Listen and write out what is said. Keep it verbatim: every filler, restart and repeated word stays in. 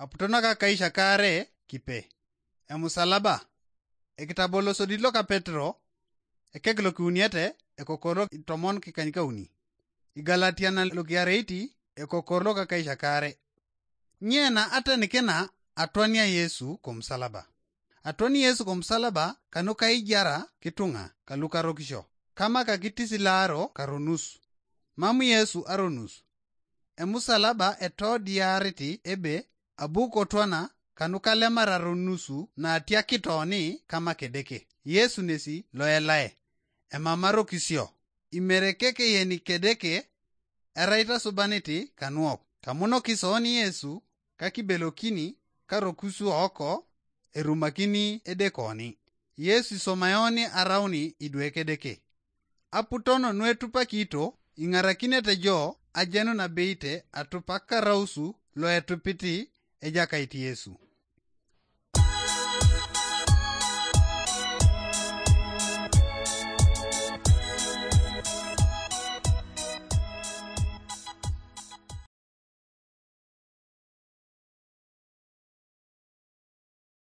Aputono ka kaisha kaare kipe. Emusalaba. Ekitabolosodit loka Petero, ekek lokiuniete, ekokoro tomon kikanykauni. Igalatiana lokiareiti, ekokoro loka kaisha kaare. Nyena atenikina atwania Yesu komusalaba. Atwani Yesu komusalaba kanuka ijara kitunga kalukarokisho. Kama kakitisilaaro karonus. Mamu Yesu aronus. Emusalaba etodiariti ebe abu kotwana kanukalemar aronusu naatiakitoni kama kedeke. Yesu nesi loelae. Emamarokisio. Imerekeke yeni kedeke erai tasubaniti kanuok. Kamunokisoni Yesu kakibelokini karokusuoko erumakini edekoni. Yesu isomayoni arauni idwe kedeke. Aputon nuetupakito ing'arakinete jo ajenu nabeite atupak karausu loetupiti ejakait Yesu.